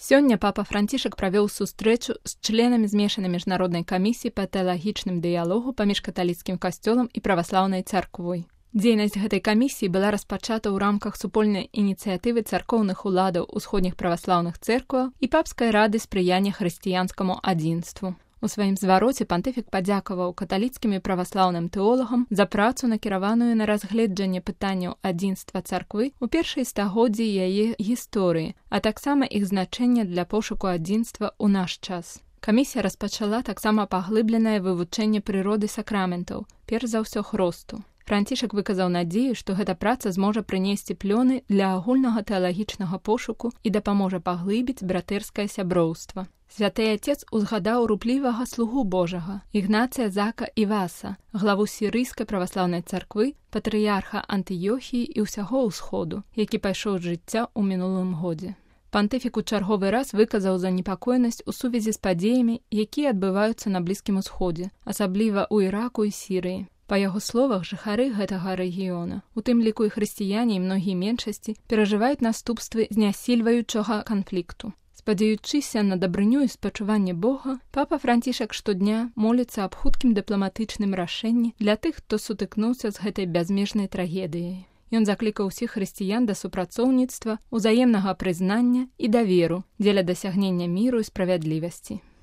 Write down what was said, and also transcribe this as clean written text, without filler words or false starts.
Сёння папа Францішак правёў сустрэчу з членамі змешанай міжнароднай камісіі па тэалагічным дыялогу паміж каталіцкім касцёлам і праваслаўнай царквой. Дзейнасць гэтай камісіі была распачата ў рамках супольнай ініцыятывы царкоўных уладаў усходніх праваслаўных цэркваў і папскай рады спрыяння хрысціянскаму адзінству. У сваім звароце пантыфік падзякаваў каталіцкім і праваслаўным тэолагам за працу, накіраваную на разгледжанне пытанняў адзінства царквы ў першай стагоддзі яе гісторыі, а таксама іх значэння для пошуку адзінства ў наш час. Камісія распачала таксама паглыбленае вывучэнне прыроды сакраментаў, перш за ўсё хросту. Францішак выказаў надзею, што гэта праца зможа прынесці плёны для агульнага тэалагічнага пошуку і дапаможа паглыбіць братэрскае сяброўства. Святы Отец узгадаў руплівага слугу Божага, Ігнація Зака Іваса, главу сірыйскай праваслаўнай царквы, патрыярха Антыёхіі і ўсяго ўсходу, які пайшоў з жыцця ў мінулым годзе. Пантыфік у чарговы раз выказаў занепакоенасць у сувязі з падзеямі, якія адбываюцца на Блізкім Усходзе, асабліва ў Іраку і Сірыі. Па яго словах, жыхары гэтага рэгіёна, у тым ліку і хрысціяне і многія меншасці, перажываюць наступствы знясільваючага канфлікту. Спадзяючыся на дабрыню і спачуванне Бога, папа Францішак штодня моліцца аб хуткім дыпламатычным рашэнні для тых, хто сутыкнуўся з гэтай бязмежнай трагедыяй. Ён заклікаў усіх хрысціян да супрацоўніцтва, узаемнага прызнання і даверу дзеля дасягнення міру і справядлівасці.